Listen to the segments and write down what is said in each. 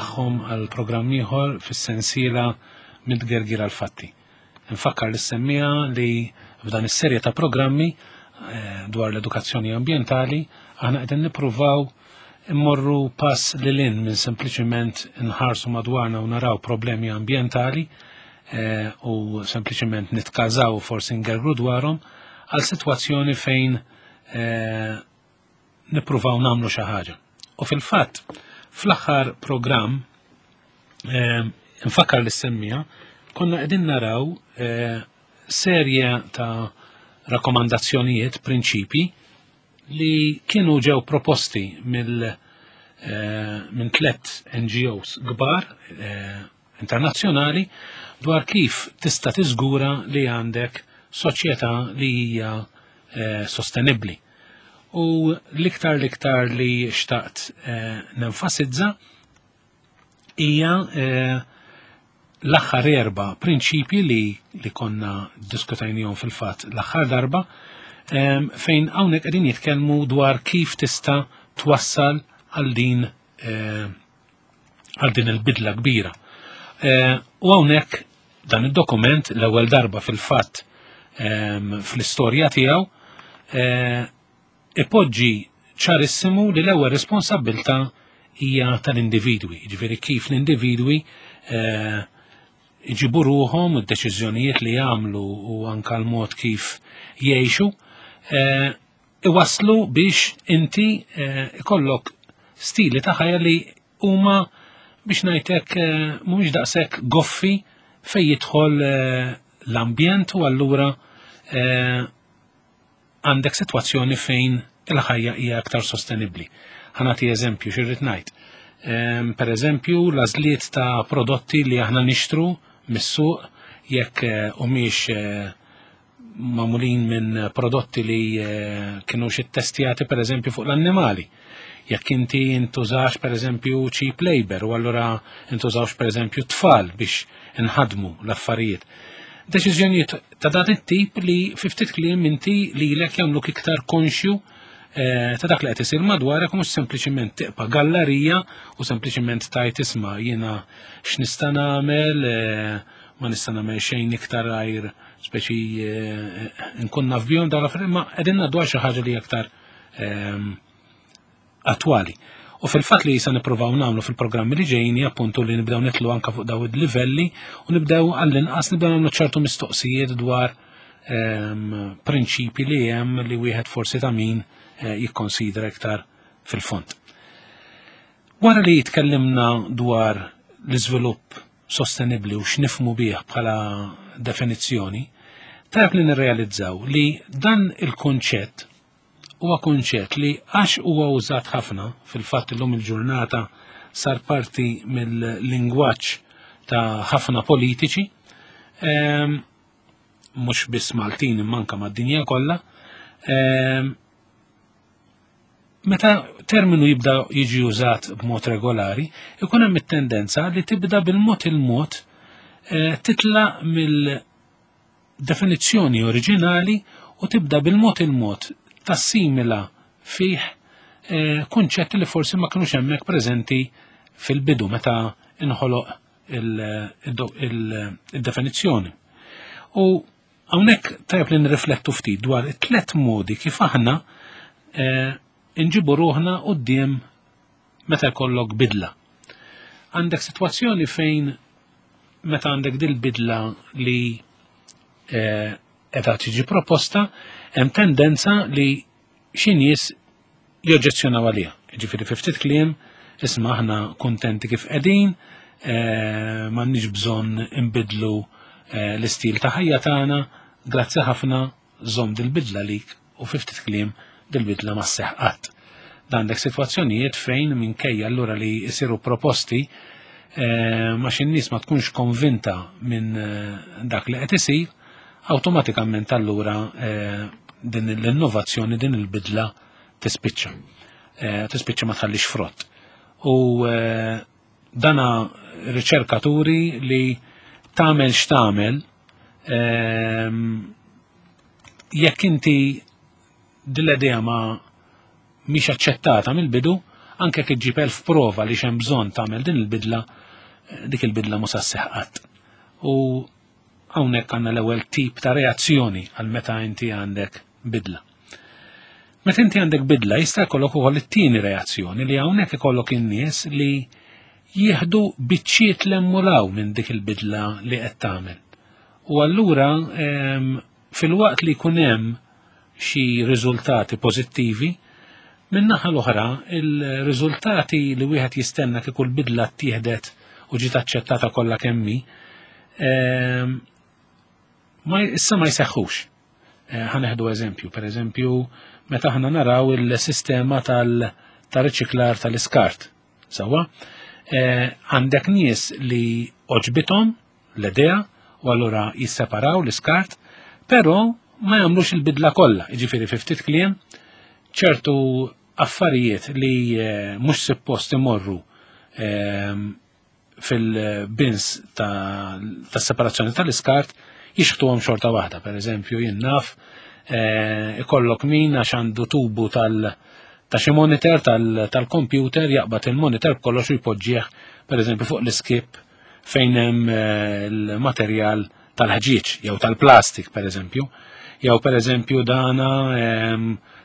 Nilqagħhom għal programm ieħor fis-sensiela Mid-Gergir għal Fatti. Nfakkar lis-semmiegħa li f'dan is-serje ta' programmi eh, dwar l-edukazzjoni ambjentali aħna qegħdin nippruvaw immorru pass lil hinn minn sempliċiment nħarsu madwarna u naraw problemi ambjentali eh, u sempliċiment nitkażaw forsi ngergru dwarhom għal sitwazzjoni fejn eh, nippruvaw nagħmlu xi ħaġa. U fil-fatt, fl-aħħar programm eh, nfakkar li semmija, konna qegħdin naraw eh, serje ta' rakkomandazzjonijiet, prinċipi li kienu ġew proposti mill eh, minn tlet NGOs kbar internazzjonali dwar kif tista' tiżgura li għandek soċjetà li hija eh, sostenibbli. U l-iktar l-iktar li xtaqt eh, nenfasizza hija eh, l-aħħar erba' prinċipji li, li konna diskutajnihom fil-fatt l-aħħar darba fejn hawnhekk qegħdin jitkellmu dwar kif tista' twassal għal din għal din il-bidla kbira. Eh, u hawnhekk dan id-dokument l-ewwel darba fil-fatt ehm, fl-istorja tiegħu eh, ipoġġi ċarissimu li l-ewwel responsabbilta hija tal-individwi, ġifieri kif l-individwi eh, iġibu ruħhom u d-deċiżjonijiet li jagħmlu u anka l-mod kif jgħixu iwasslu biex inti eh, ikollok stili ta' ħajja li huma biex ngħidlek eh, mhumiex daqshekk goffi fejn jidħol eh, l-ambjent u allura għandek sitwazzjoni fejn il-ħajja hija aktar sostenibbli. Ħanati eżempju xirrid ngħid. Ehm, per eżempju, l-għażliet ta' prodotti li aħna nixtru mis-suq jekk humiex magħmulin minn prodotti li eh, kienu xi testjati pereżempju fuq l-annimali. Jekk inti intużax pereżempju cheap labor u allura intużawx pereżempju tfal biex inħadmu l-affarijiet. Deċiżjonijiet ta' dan it-tip li fi ftit kliem inti lilek jagħmluk iktar konxju eh, ta' dak li qed isir madwarek u mhux sempliċiment tiqpa' gallerija u sempliċiment tajt isma' jiena x'nista' nagħmel eh, ma nista' nagħmel xejn iktar għajr speċi eh, nkun naf bihom dawn l-affarijiet, ma qegħdin ngħaddu għal xi ħaġa li aktar ehm, attwali. U fil-fatt li jisa nippruvaw nagħmlu fil-programmi li ġejjin appuntu li nibdew nitlu anka fuq daw il-livelli u nibdew għall-inqas nibdew nagħmlu ċertu mistoqsijiet dwar ehm, prinċipi li hemm li wieħed forsi ta' min eh, jikkonsidra iktar fil-fond. Wara li tkellimna dwar l-iżvilupp sostenibbli u x'nifhmu bih bħala definizzjoni, tajjeb li nirrealizzaw li dan il-kunċett huwa kunċett li għax huwa użat ħafna fil-fatt illum il-ġurnata sar parti mill-lingwaġġ ta' ħafna politiċi, ehm, mhux biss Maltin imma anke mad-dinja kollha, ehm, Meta terminu jibda jiġi użat b'mod regolari, ikun hemm it-tendenza li tibda bil-mod il-mod eh, titla mill-definizzjoni oriġinali u tibda bil-mod il-mod tassimila fih eh, kunċetti li forsi ma kinux hemmhekk preżenti fil-bidu meta inħoloq il-definizzjoni. U Hawnhekk tajjeb li nirriflettu ftit dwar it-tlet modi kif aħna eh, nġibu ruħna quddiem meta jkollok bidla. Għandek sitwazzjoni fejn meta għandek dil-bidla li eh, qiegħda tiġi proposta, hemm tendenza li xi nies joġġezzjonaw għaliha. Ġifieri fi ftit kliem, isma' aħna kuntenti kif qegħdin, eh, m'għandniex bżonn inbidlu eh, l-istil ta' ħajja tagħna, grazzi ħafna żomm dil-bidla lik u fi ftit kliem dil-bidla ma sseħħ qatt. Dan għandek sitwazzjonijiet fejn minkejja allura li jsiru proposti eh, ma xi nies ma tkunx konvinta minn dak li qed isir, awtomatikament allura din l-innovazzjoni, din il-bidla tispiċċa. Eh, tispiċċa ma tħallix frott. U eh, dana riċerkaturi li tagħmel x'tagħmel ehm, jekk inti dil-idea ma mhix aċċettata mill-bidu, Anke jekk iġġib 1000 prova li x'hemm bżonn tagħmel din il-bidla, dik il-bidla mhux se sseħħ qatt. U hawnhekk għandna l-ewwel tip ta' reazzjoni għal meta inti għandek bidla. Meta inti għandek bidla jista' jkollok ukoll it-tieni reazzjoni li hawnhekk ikollok in-nies li jieħdu biċċiet l-emmulaw minn dik il-bidla li qed tagħmel. U allura filwaqt li jkun hemm xi riżultati pożittivi, min-naħa l-oħra il-riżultati li wieħed jistenna kieku l-bidla ttieħdet u ġiet aċċettata kollha kemm hi, ma issa ma jseħħux. Ħa neħdu eżempju, per eżempju, meta aħna naraw il-sistema tal-riċiklar tal-iskart. Sewwa, għandek nies li oġbithom l-idea u allura jisseparaw l-iskart, però ma jagħmlux il-bidla kollha, jiġifieri fi ftit kliem ċertu affarijiet li mhux suppost imorru fil-bins ta' separazzjoni tal-iskart jixħtuhom xorta waħda. Per eżempju, jien naf ikollok min għax għandu tubu tal ta' xi monitor tal-computer jaqbad il-monitor b'kollox u jpoġġih per eżempju fuq l-iskip fejn hemm il-materjal tal-ħġieġ jew tal-plastik per eżempju. Jew per eżempju dana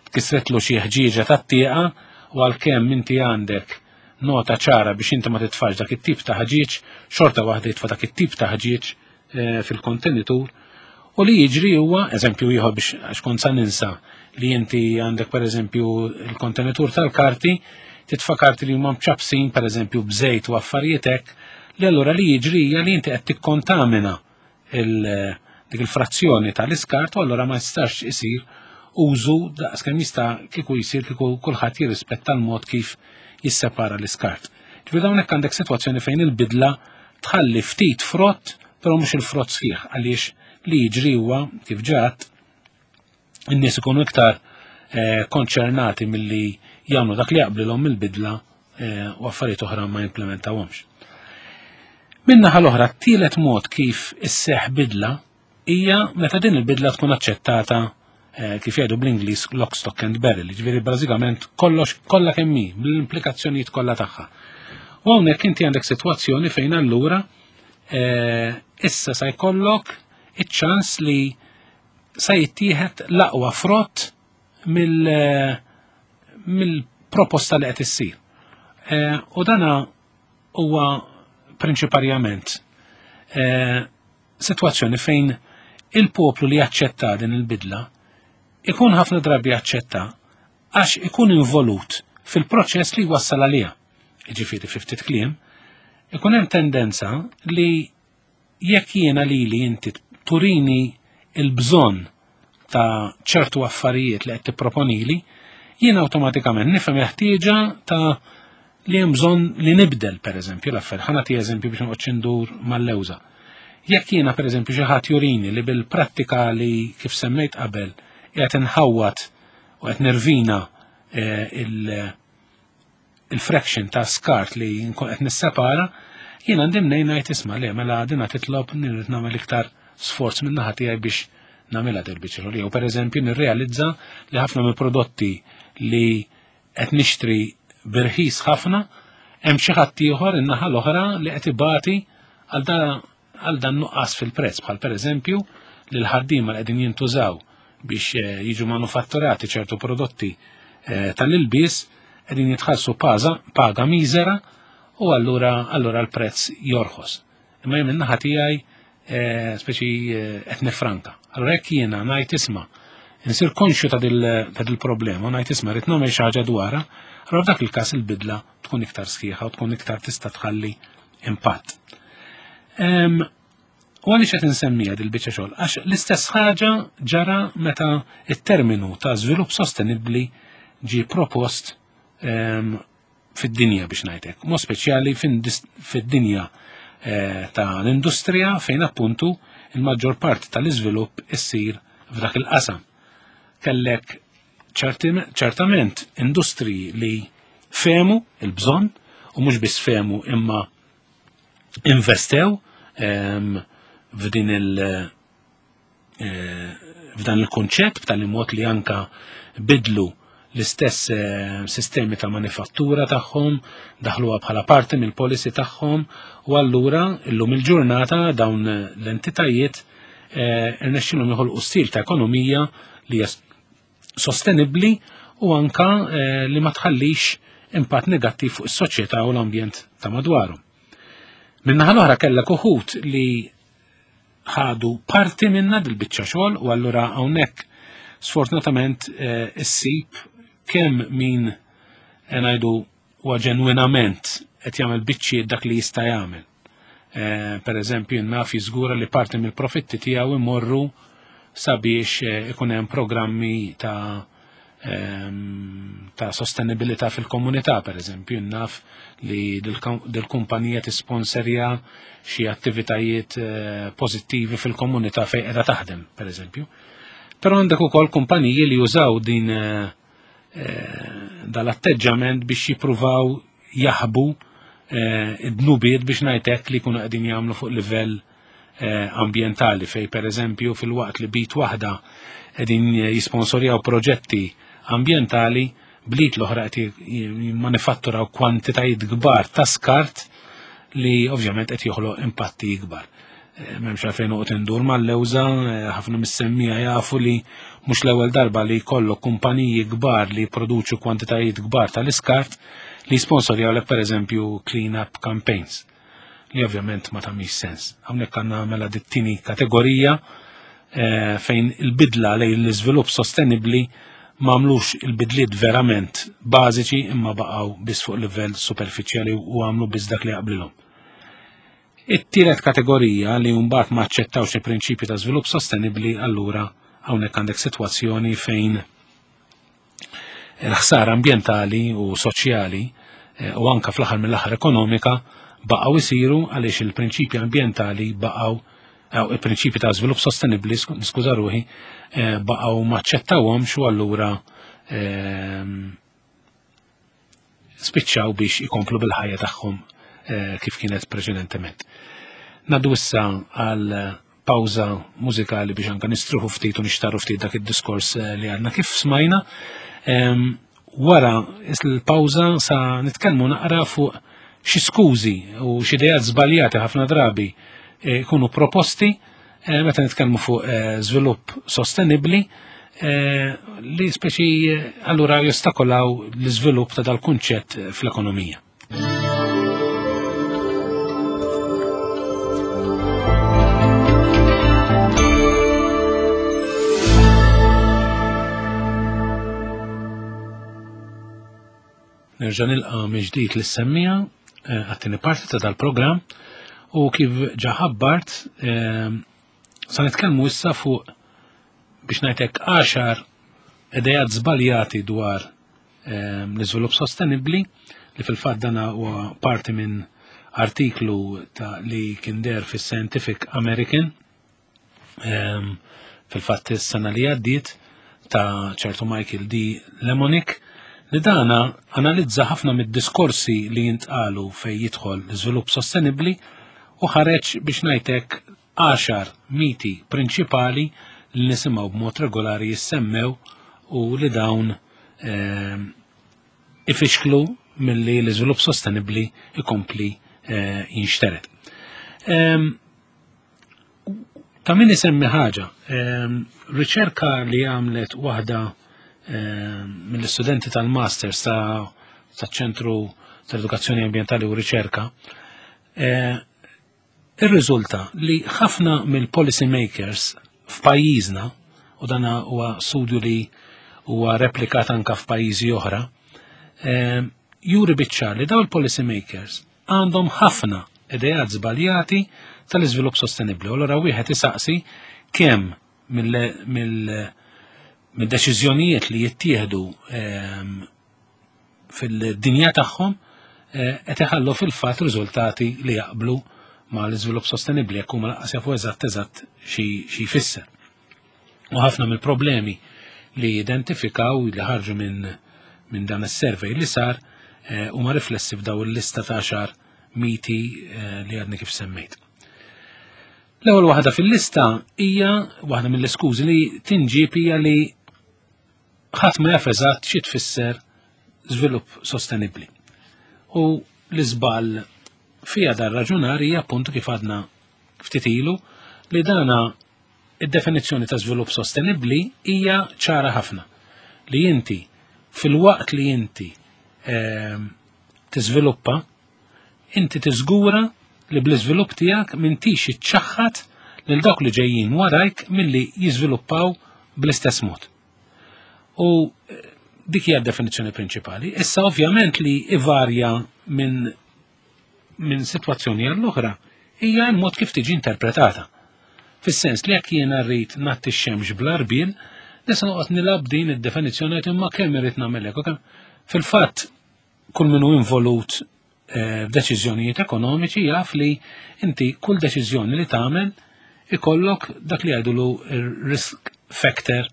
tkissretlu xi ħġieġa tat-tieqa u għalkemm inti għandek nota ċara biex inti ma titfax dak it-tip ta' ħġieġ, xorta waħda jitfa' dak it-tip ta' ħġieġ fil-kontenitur. U li jiġri huwa, eżempju ieħor biex għax kont sa ninsa, li inti għandek per eżempju il-kontenitur tal-karti, titfa' karti li huma mċappsin per eżempju b'żejt u affarijiet hekk, li allura li jiġri hija li inti qed tikkontamina dik il-frazzjoni tal-iskart u allura ma jistax isir użu daqs kemm jista' kieku jsir kieku kulħadd jirrispetta l-mod kif jissepara l-iskart. Ġifieri hawnhekk għandek sitwazzjoni fejn il-bidla tħalli ftit frott, però mhux il-frott sħiħ, għaliex li jiġri huwa kif ġat in-nies ikunu iktar konċernati milli jagħmlu dak li jaqblilhom mill-bidla u affarijiet oħra ma jimplementawhomx. Min-naħa l-oħra, t-tielet mod kif isseħħ bidla hija meta din il-bidla tkun aċċettata kif jgħidu bl-Ingliż lock, stock and barrel, jiġifieri bażikament kollox kollha kemm hi, bl-implikazzjonijiet kollha tagħha. U hawnhekk inti għandek sitwazzjoni fejn allura issa sa jkollok iċ-ċans li sa jittieħed l-aqwa frott mill-proposta li qed issir. U dana huwa prinċiparjament sitwazzjoni fejn il-poplu li jaċċetta din il-bidla ikun ħafna drabi jaċċetta għax ikun involut fil-proċess li jwassal għaliha. Jiġifieri fi ftit kliem, ikun hemm tendenza li jekk jiena lili inti turini il-bżonn ta' ċertu affarijiet li qed tipproponili, jien awtomatikament nifhem il-ħtieġa ta' li hemm bżonn li nibdel pereżempju l-affarijiet. Ħa nagħti eżempju biex noqgħodx indur mal-lewża. Jekk jiena pereżempju xi ħadd jurini li bil-prattika li kif semmejt qabel qiegħed inħawwad u qed nirvina il-fraction ta' skart li nkun qed nissepara, jien għandi mnejn ngħid isma' le mela dina titlob nirrid nagħmel iktar sforz minn naħa tiegħi biex nagħmilha del biċċa xogħol. Jew pereżempju nirrealizza li ħafna mill-prodotti li qed nixtri birħis ħafna hemm xi ħadd ieħor in-naħa l-oħra li qed ibati għal dan nuqqas fil-prezz, bħal pereżempju li l-ħaddiema li qegħdin jintużaw biex jiġu manufatturati ċertu prodotti tal-ilbies qegħdin jitħallsu paga miżera u allura l-prezz jorħos. Imma jien min-naħa tiegħi speċi qed nifranka. Allura jekk jiena ngħid isma' insir konxju ta' dil-problema u ngħid isma' rrid nagħmel xi ħaġa dwarha, allura f'dak il-każ il-bidla tkun iktar sħiħa u tkun iktar tista' tħalli impatt. U għaliex qed insemmija dil-biċċa xogħol? Għax l-istess ħaġa ġara meta it-terminu ta' żvilupp sostenibbli ġie propost fid-dinja biex ngħidlek, mod speċjali fid-dinja ta' l-industrija fejn appuntu il-maġġor parti tal-iżvilupp issir f'dak il-qasam. Kellek ċertament industriji li fehmu il-bżonn u mhux biss fehmu imma investew f'din il- f'dan il-konċett b'tali mod li anka bidlu l-istess eh, sistemi ta' manifattura tagħhom, daħluha bħala parti mill-policy tagħhom u allura illum il-ġurnata dawn l-entitajiet eh, irnexxilhom joħolqu stil ta' ekonomija li hija sostenibbli u anka eh, li ma tħallix impatt negattiv fuq is-soċjetà u l-ambjent ta' madwarhom. Min-naħa l-oħra kellek uħud li ħadu parti minna dil-biċċa xogħol u allura hawnhekk sfortunatament eh, issib kemm min eh, ngħidu huwa ġenwinament qed jagħmel biċċiet dak li jista' jagħmel. Eh, per eżempju, naf jiżgura li parti mill-profitti tiegħu imorru sabiex ikun hemm programmi ta' ta' sostenibilità fil-komunità, per eżempju, naf li dil-kumpanija tisponserja xi attivitajiet eh, pożittivi fil-komunità fejn qiegħda taħdem, per eżempju. Però għandek ukoll kumpaniji li jużaw din eh, eh, dal-atteġġament biex jippruvaw jaħbu id-dnubiet biex ngħidlek li jkunu qegħdin jagħmlu fuq livell ambjentali fej per eżempju fil-waqt li bit waħda qegħdin jisponsorjaw proġetti ambjentali blit l-oħra qed jimmanifatturaw kwantitajiet kbar ta' skart li ovvjament qed joħloq impatti ikbar. Eh, m'hemmx għalfejn noqgħod indur mal-lewża, eh, ħafna mis-semmija jafu li mhux l-ewwel darba li jkollok kumpaniji kbar li jipproduċu kwantitajiet kbar tal-iskart li sponsorjaw pereżempju clean up campaigns li ovvjament ma tagħmilx sens. Hawnhekk għandna mela dit-tieni kategorija eh, fejn il-bidla lejn l-iżvilupp sostenibbli m'għamlux il-bidliet verament bażiċi imma baqgħu biss fuq livell superfiċjali u għamlu biss dak li jaqblilhom. It-tielet kategorija li mbagħad ma aċċettawx il-prinċipju ta' żvilupp sostenibbli allura hawnhekk għandek sitwazzjoni fejn il-ħsara ambjentali u soċjali eh, u anka fl-aħħar mill-aħħar ekonomika baqgħu isiru għaliex il-prinċipji ambjentali baqgħu il-prinċipji ta' żvilupp sostenibbli, niskuża ruħi, eh, baqgħu maċċettawhomx u allura ehm, spiċċaw biex ikomplu bil-ħajja tagħhom eh, kif kienet preċedentement. Naddu issa għal pawża mużikali biex anka nistruħu ftit u nixtaru ftit dak id-diskors eh, li għadna kif smajna. Ehm, wara il-pawża sa nitkellmu naqra fuq xi skużi u xi idejat żbaljati ħafna drabi eh, jkunu proposti eh, meta nitkellmu fuq żvilupp sostenibbli li speċi allura jostakolaw l-iżvilupp ta' dal-kunċett fl-ekonomija. Nerġa' nilqa' mill-ġdid lis-semmija eh, għat-tieni parti ta' dal-programm u kif ġa ħabbart eh, sa nitkellmu issa fuq biex ngħidlek għaxar idejat żbaljati dwar Ehm, l-iżvilupp sostenibbli li fil-fatt dana huwa parti minn artiklu ta' li kien der fis-Scientific American ehm, fil-fatt is-sena li għaddiet ta' ċertu Michael D. Lemonick li dana analizza ħafna mid-diskorsi li jintqalu fej jidħol l-iżvilupp sostenibbli u ħareġ biex ngħidlek għaxar miti prinċipali li nisimgħu b'mod regolari jissemmew u li dawn ehm, ifixklu milli l-iżvilupp sostenibbli ikompli eh, jinxteret. Ehm, ta' min isemmi ħaġa, ehm, riċerka li għamlet waħda mill-istudenti tal-masters ta' ċentru tal-edukazzjoni ambientali u riċerka, eh, Irriżulta li ħafna mill-policy makers f'pajjiżna, u dan huwa studju li huwa replikat anka f'pajjiżi oħra, eh, juri biċ-ċar li dawn il-policy makers għandhom ħafna idejat żbaljati tal-iżvilupp sostenibbli. U allura wieħed isaqsi kemm mill-deċiżjonijiet li jittieħdu ehm, fil-dinja tagħhom eh, qed iħallu fil-fatt riżultati li jaqblu ma l-iżvilupp sostenibbli jekk huma lanqas jafu eżatt eżatt xi jfisser. U ħafna mill-problemi li identifikaw li ħarġu minn min dan is-survey li sar eh, huma riflessi f'daw il-lista ta' xar miti eh, li għadni kif semmejt. L-ewwel waħda fil-lista hija waħda mill-iskużi li tinġib hija li ħadd ma jaf eżatt xi tfisser żvilupp sostenibbli. U l-iżball fija dar raġunar hija appuntu kif għadna ftit ilu li dana id-definizzjoni ta' żvilupp sostenibbli hija ċara ħafna li inti fil-waqt li inti tiżviluppa inti tiżgura li bl-iżvilupp tiegħek m'intix iċċaħħad lil dawk li ġejjin warajk milli jiżviluppaw bl-istess mod. U dik hija d-definizzjoni prinċipali. Issa ovvjament li ivarja minn sitwazzjoni għall-oħra hija l-mod kif tiġi interpretata. Fis-sens li jekk jiena rrid nagħti x-xemx bl-arbil, nista' noqgħod nilgħab din id-definizzjoni qed imma kemm irrid nagħmel hekk. Fil-fatt kull min hu involut f'deċiżjonijiet ekonomiċi jaf li inti kull deċiżjoni li tagħmel ikollok dak li jgħidulu risk factor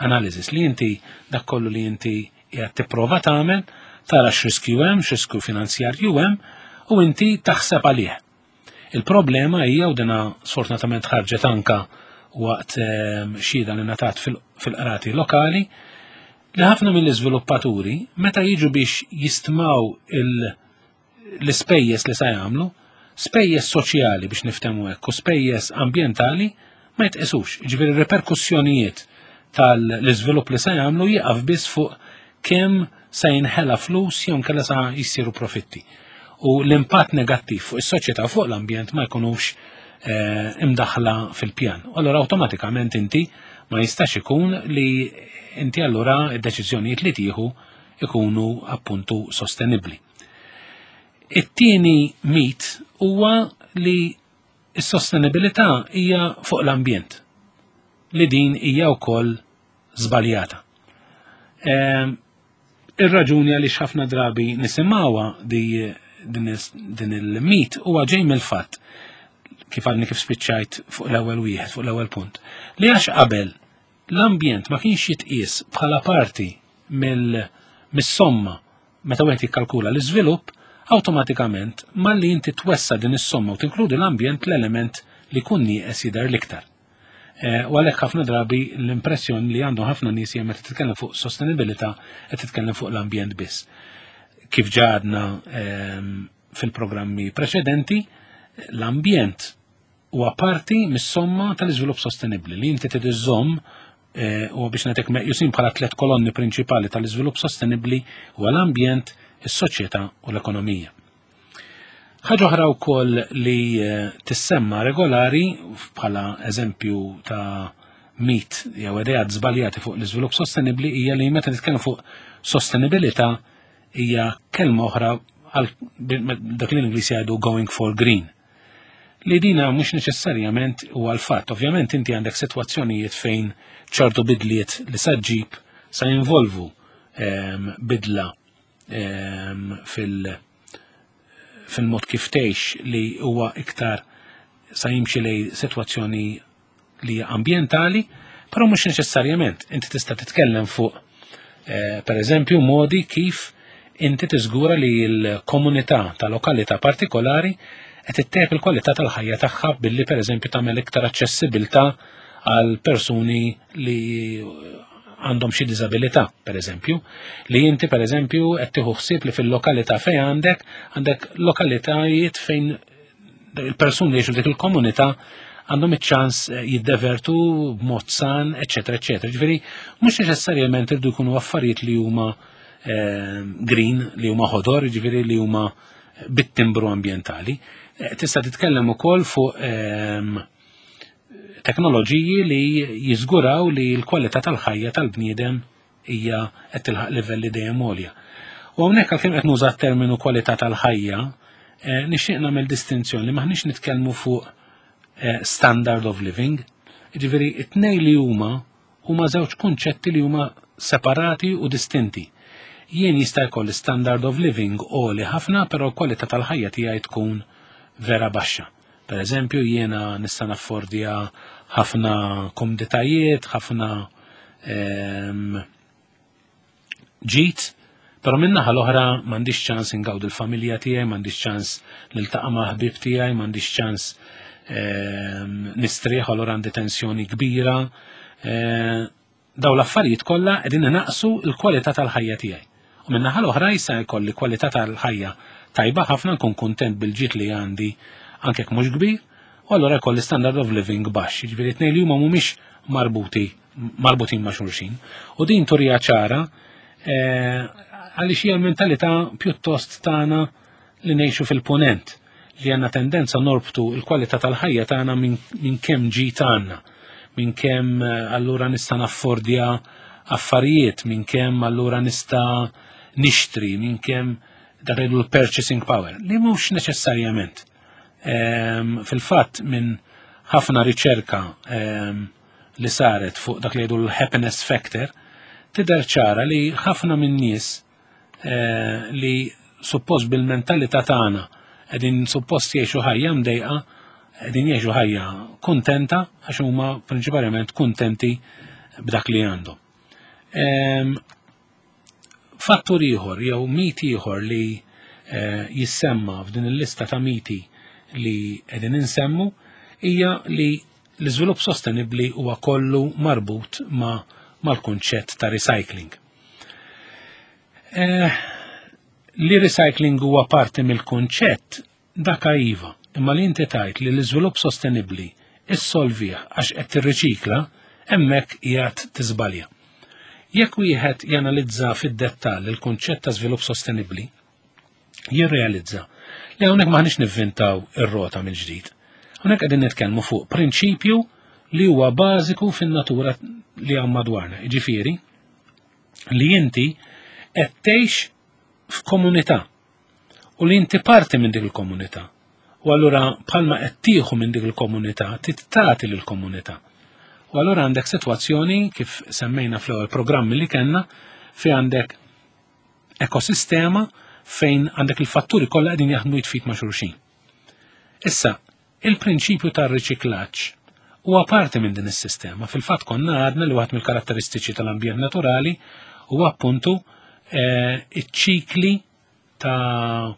analysis li inti dak kollu li inti qiegħed tipprova tagħmel tara x'riskju hemm, x'riskju finanzjarju hemm u inti taħseb għalih. Il-problema hija u dina sfortunatament ħarġet anka waqt xhieda li ngħatat fil-qrati lokali li ħafna mill-iżviluppaturi meta jiġu biex jistmaw l-ispejjeż li sa jagħmlu, spejjeż soċjali biex niftehmu hekk u spejjeż ambjentali ma jitqisux. Ġifieri reperkussjonijiet tal-iżvilupp li sa jagħmlu jieqaf biss fuq kemm sa jinħela flus jew inkella sa jsiru profitti. U l-impatt negattiv fuq is-soċjetà fuq l-ambjent ma jkunux imdaħla fil-pjan. U allura awtomatikament inti ma jistax ikun li inti allura id-deċiżjonijiet li tieħu ikunu appuntu sostenibbli. It-tieni mit huwa li s-sostenibilità hija fuq l-ambjent, li din hija wkoll żbaljata. Ir-raġuni għaliex ħafna drabi nisimgħuha din il-mit huwa ġej mill-fatt kif għadni kif spiċċajt fuq l-ewwel wieħed, fuq l-ewwel punt, li għax qabel l-ambjent ma kienx jitqies bħala parti mis-somma meta wieħed jikkalkula l-iżvilupp, awtomatikament malli inti twessa din is-somma u tinkludi l-ambjent l-element li jkun nieqes jidher l-iktar. U għalhekk ħafna drabi l-impressjoni li għandhom ħafna nies hija meta titkellem fuq sostenibilità qed titkellem fuq l-ambjent biss. Kif ġadna fil-programmi preċedenti, l-ambjent huwa parti mis-somma tal-iżvilupp sostenibbli li inti trid iżżomm u biex nagħtik meqjusin bħala tliet kolonni prinċipali tal-iżvilupp sostenibbli huwa l-ambjent, is-soċjetà u l-ekonomija. Ħaġa oħra wkoll li tissemma regolari bħala eżempju ta' mit jew ideat żbaljati fuq l-iżvilupp sostenibbli hija li meta nitkellem fuq sostenibilità hija kelma oħra għal dak li l-Ingliż jgħidu going for green. Li dina mhux neċessarjament huwa l-fatt. Ovvjament inti għandek sitwazzjonijiet fejn ċertu bidliet li sa ġġib sa jinvolvu bidla fil-mod kif tgħix li huwa iktar sa jimxi lej sitwazzjoni li hija ambjentali, però mhux neċessarjament. Inti tista' titkellem fuq per eżempju modi kif inti tiżgura li l-komunità ta' lokalità partikolari qed ittejjeb il-kwalità tal-ħajja tagħha billi per eżempju tagħmel iktar aċċessibilità għal persuni li għandhom xi diżabilità, per eżempju, li inti per eżempju qed tieħu ħsieb li fil-lokalità fejn għandek lokalitajiet fejn il-persuni li jgħixu dik il-komunità għandhom iċ-ċans jiddevertu b'mod san, eċċetera, eċċetera. Ġifieri mhux neċessarjament irdu jkunu affarijiet li huma green, li huma ħodor, ġifieri li huma bit-timbru ambjentali. Tista' titkellem ukoll fuq teknoloġiji li jiżguraw li l-kwalità tal-ħajja tal-bniedem hija qed tilħaq livelli dejjem għolja. U hawnhekk għalkemm qed nuża t-terminu kwalità tal-ħajja, nixtieq nagħmel distinzjoni li maħniex nitkellmu fuq standard of living. Jiġifieri it-tnejn li huma huma żewġ kunċetti li huma separati u distinti. Jien jista' jkolli standard of living għoli ħafna, però l-kwalità tal-ħajja tiegħi tkun vera baxxa. Per eżempju, jiena nista' naffordja ħafna komditajiet, ħafna ġid, però min-naħa l-oħra m'għandix ċans ingawdu l-familja tiegħi, m'għandix ċans niltaqa' ma' ħbieb tiegħi, m'għandix ċans nistrieħ, allura għandi tensjoni kbira. Daw l-affarijiet kollha qegħdin inaqsu l-kwalità tal-ħajja tiegħi. U min-naħa l-oħra jista' jkolli kwalità tal-ħajja tajba ħafna, nkun kuntent bil-ġid li għandi anke jekk mhux kbir, u allura jkolli standard of living baxx. Jiġifieri tnejn li huma mhumiex marbuti marbutin ma' xulxin. U din turija ċara għaliex hija l-mentalità pjuttost tagħna li ngħixu fil-punent, li għandna tendenza norbtu l-kwalità tal-ħajja tagħna minn kemm ġid għandna, minn kemm allura nista' naffordja affarijiet, minn kemm allura nista' nixtri, minn kemm dak li l-purchasing power, li mhux neċessarjament. Fil-fatt minn ħafna riċerka li saret fuq dak li jgħidu l-happiness factor, tidher ċara li ħafna minn nies li suppost bil-mentalità tagħna qegħdin suppost jgħixu ħajja mdejqa, qegħdin jgħixu ħajja kuntenta għax huma prinċipalment kuntenti b'dak li għandhom. Fattur ieħor jew mit ieħor li jissemma f'din il-lista ta' miti li qegħdin insemmu hija li l-iżvilupp sostenibbli huwa kollu marbut ma' mal-kunċett ta' recycling. Li recycling huwa parti mill-kunċett dak iva, imma li inti tajt li l-iżvilupp sostenibbli issolvih għax qed tirriċikla, hemmhekk qiegħed tiżbalja. Jekk wieħed janalizza fid-dettall il-kunċett ta' żvilupp sostenibbli, jirrealizza li hawnhekk m'aħniex nivvintaw ir-rota mill-ġdid. Hawnhekk qegħdin nitkellmu fuq prinċipju li huwa bażiku fin-natura li hawn madwarna. Jiġifieri li inti qed tgħix f'komunità u li inti parti minn dik il-komunità. U allura bħalma qed tieħu minn dik il-komunità, tagħti lill-komunità. U allura għandek sitwazzjoni kif semmejna fl-ewwel programmi li kellna fi għandek ekosistema fejn għandek il-fatturi kollha qegħdin jaħdmu jitfit ma' xulxin. Issa, il-prinċipju tar-riċiklaġġ huwa parti minn din is-sistema. Fil-fatt konna għadna li waħed mill-karatteristiċi tal-ambjent naturali huwa appuntu iċ-ċikli ta'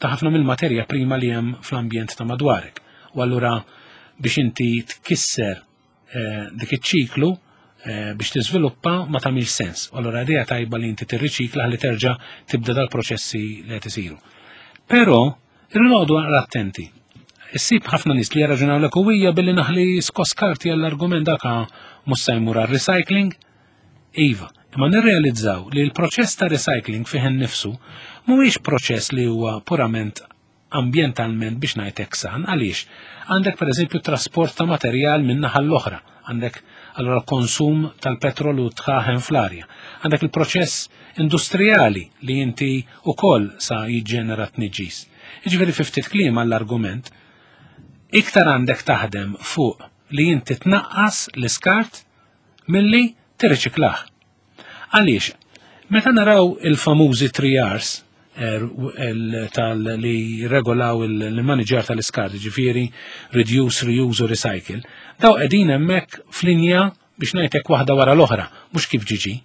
ħafna mill-materja prima li hemm fl-ambjent ta' madwarek. U allura biex inti tkisser dik iċ-ċiklu biex tiżviluppa ma tagħmilx sens. U allura idea tajba li inti tirriċikla ħalli terġa' tibda dal-proċessi li qed isiru. Però irridu noqogħdu attenti. Issib ħafna nies li jarraġunaw lek u hija billi naħli skoskarti għall-argument dak mhux se jmur għar-recycling. Iva, imma nirrealizzaw li l-proċess ta' recycling fih innifsu mhuwiex proċess li huwa purament ambjentalment biex ngħidlek san, għaliex għandek pereżempju trasport ta' materjal minn naħa l-oħra, għandek allura konsum tal-petrol u tħaħen fl-arja, għandek il-proċess industrijali li inti ukoll sa jiġġenera tniġġis. Jiġifieri fi ftit kliem għall-argument, iktar għandek taħdem fuq li inti tnaqqas l-iskart milli tirriċiklah. Għaliex, meta naraw il-famużi 3 R's tal li regolaw il-manager tal-iskart, ġifieri reduce, reuse u recycle, daw qegħdin hemmhekk f'linja biex ngħidlek waħda wara l-oħra, mhux kif ġiġi.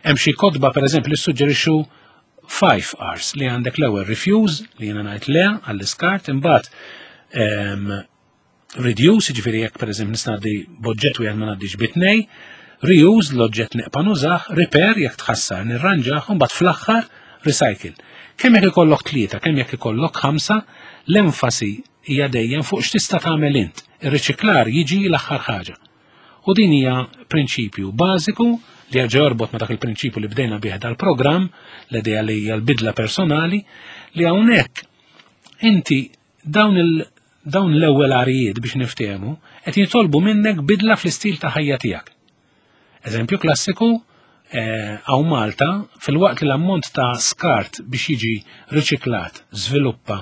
Hemm xi kotba pereżempju li suġġerixxu 5 R's li għandek l-ewwel refuse li jiena ngħid le għall-iskart, imbagħad reduce, ġifieri jekk pereżempju nista' ngħaddi b'oġġett wieħed ma ngħaddix bi tnej, reuse l-oġġett neqpa' nużah, repair jekk tħassar nirranġah, u mbagħad fl-aħħar recycle. Kemm jekk ikollok 3, kemm jekk ikollok 5, l-enfasi hija dejjem fuq x'tista' tagħmel int. Ir-riċiklar jiġi l-aħħar ħaġa. U din hija prinċipju bażiku li jerġa' jorbot ma' dak il-prinċipju li bdejna bih dal-programm, l-idea li hija l-bidla personali, li hawnhekk inti dawn dawn l-ewwel arijiet biex niftehmu qed jitolbu minnek bidla fl-istil ta' ħajja tiegħek. Eżempju klassiku hawn Malta, fil-waqt li l-ammont ta' skart biex jiġi riċiklat żviluppa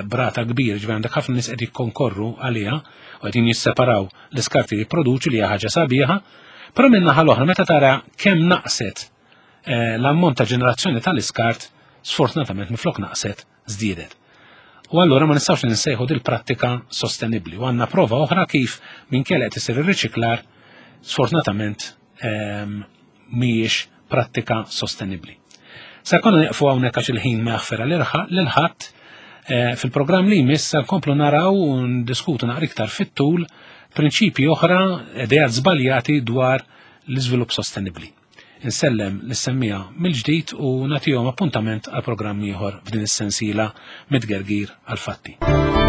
brata kbir, ġifieri għandek ħafna nies qed jikkonkorru għaliha u qegħdin jisseparaw l-iskart li jipproduċu li hija ħaġa sabiħa, però minn naħa l-oħra meta tara kemm naqset l-ammont ta' ġenerazzjoni tal-iskart, sfortunatament minflok naqset żdiedet. U allura ma nistgħux ninsejħu dil-prattika sostenibbli. U għandna prova oħra kif minkejja qed isir ir-riċiklar, sfortunatament mhijiex prattika sostenibbli. Sa konna nieqfu hawnhekk għax il-ħin ma jaħfer lil ħadd. Fil-programm li jmiss sa nkomplu naraw u ndiskutu naqra iktar fit-tul prinċipji oħra, ideat żbaljati dwar l-iżvilupp sostenibbli. Insellem lis-semmiegħa mill-ġdid u nagħtihom appuntament għal programm ieħor f'din is-sensiela Mit-Tgergir għall-Fatti.